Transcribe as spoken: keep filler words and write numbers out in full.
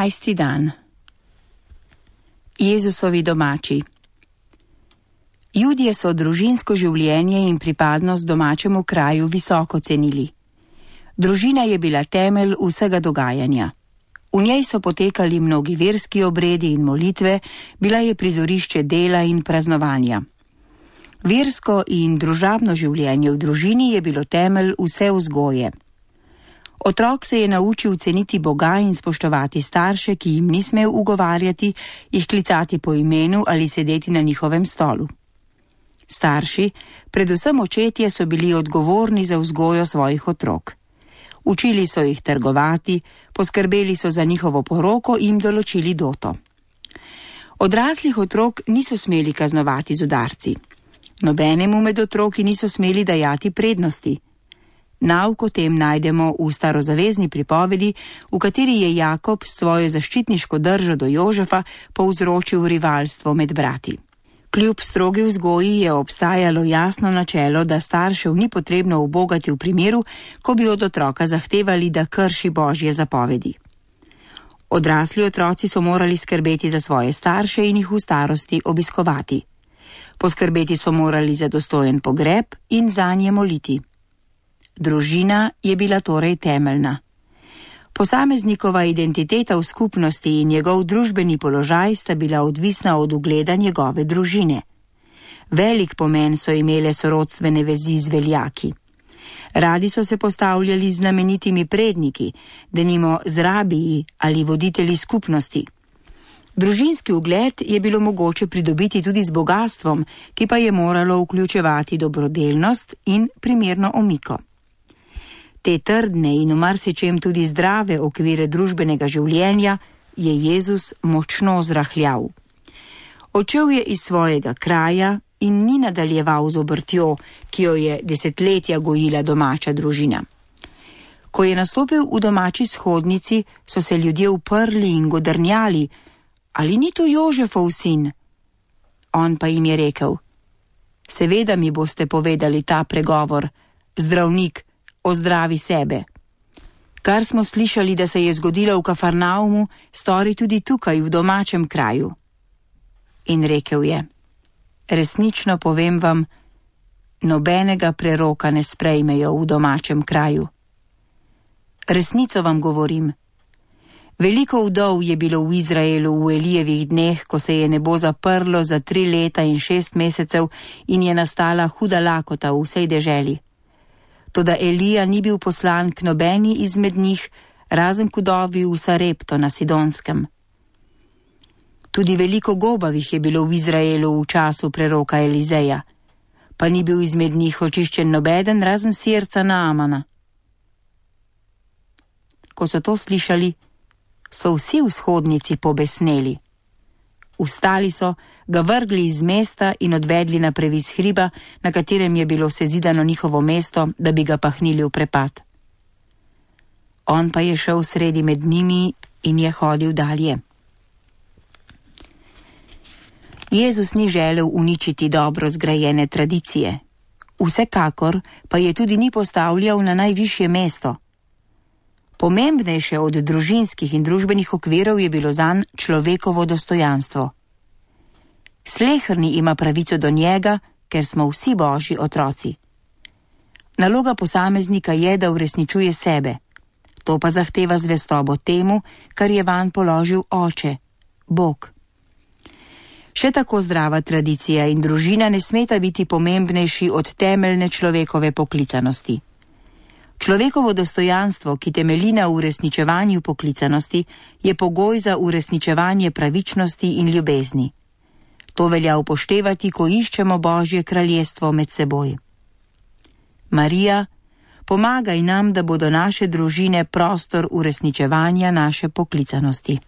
Enajsti dan. Jezusovi domači. Judje so družinsko življenje in pripadnost domačemu kraju visoko cenili. Družina je bila temelj vsega dogajanja. V njej so potekali mnogi verski obredi in molitve, bila je prizorišče dela in praznovanja. Versko in družabno življenje v družini je bilo temelj vse vzgoje. Otrok se je naučil ceniti Boga in spoštovati starše, ki jim ni smel ugovarjati, jih klicati po imenu ali sedeti na njihovem stolu. Starši, predvsem očetje, so bili odgovorni za vzgojo svojih otrok. Učili so jih trgovati, poskrbeli so za njihovo poroko in določili doto. Odraslih otrok niso smeli kaznovati z udarci. Nobenemu med otroki niso smeli dajati prednosti. Nauk o tem najdemo v starozavezni pripovedi, v kateri je Jakob svojo zaščitniško držo do Jožefa povzročil rivalstvo med brati. Kljub strogi vzgoji je obstajalo jasno načelo, da staršev ni potrebno ubogati v primeru, ko bi od otroka zahtevali, da krši Božje zapovedi. Odrasli otroci so morali skrbeti za svoje starše in jih v starosti obiskovati. Poskrbeti so morali za dostojen pogreb in zanje moliti. Družina je bila torej temeljna. Posameznikova identiteta v skupnosti in njegov družbeni položaj sta bila odvisna od ugleda njegove družine. Velik pomen so imele sorodstvene vezi z veljaki. Radi so se postavljali z znamenitimi predniki, denimo z rabiji ali voditelji skupnosti. Družinski ugled je bilo mogoče pridobiti tudi z bogatstvom, ki pa je moralo vključevati dobrodelnost in primerno omiko. Te trdne in v marsičem tudi zdrave okvire družbenega življenja je Jezus močno zrahljal. Odšel je iz svojega kraja in ni nadaljeval z obrtjo, ki jo je desetletja gojila domača družina. Ko je nastopil v domači shodnici, so se ljudje uprli in godrnjali: ali ni to Jožefov sin? On pa jim je rekel: seveda mi boste povedali ta pregovor, zdravnik, ozdravi sebe. Kar smo slišali, da se je zgodilo v Kafarnaumu, stori tudi tukaj v domačem kraju. In rekel je: resnično povem vam, nobenega preroka ne sprejmejo v domačem kraju. Resnico vam govorim. Veliko vdov je bilo v Izraelu v Elijevih dneh, ko se je nebo zaprlo za tri leta in šest mesecev in je nastala huda lakota v vsej deželi. Toda Elija ni bil poslan k nobeni izmed njih, razen k vdovi v Sarepto na Sidonskem. Tudi veliko gobavih je bilo v Izraelu v času preroka Elizeja, pa ni bil izmed njih očiščen nobeden, razen sirca Naamana. Ko so to slišali, so vsi v shodnici pobesneli. Vstali so, ga vrgli iz mesta in odvedli na previs hriba, na katerem je bilo sezidano njihovo mesto, da bi ga pahnili v prepad. On pa je šel sredi med njimi in je hodil dalje. Jezus ni želel uničiti dobro zgrajene tradicije. Vsekakor pa je tudi ni postavljal na najvišje mesto. Pomembnejše od družinskih in družbenih okvirov je bilo zanj človekovo dostojanstvo. Sleherni ima pravico do njega, ker smo vsi Božji otroci. Naloga posameznika je, da uresničuje sebe. To pa zahteva zvestobo temu, kar je vanj položil Oče, Bog. Še tako zdrava tradicija in družina ne smeta biti pomembnejši od temeljne človekove poklicanosti. Človekovo dostojanstvo, ki temelji na uresničevanju poklicanosti, je pogoj za uresničevanje pravičnosti in ljubezni. To velja upoštevati, ko iščemo Božje kraljestvo med seboj. Marija, pomagaj nam, da bodo naše družine prostor uresničevanja naše poklicanosti.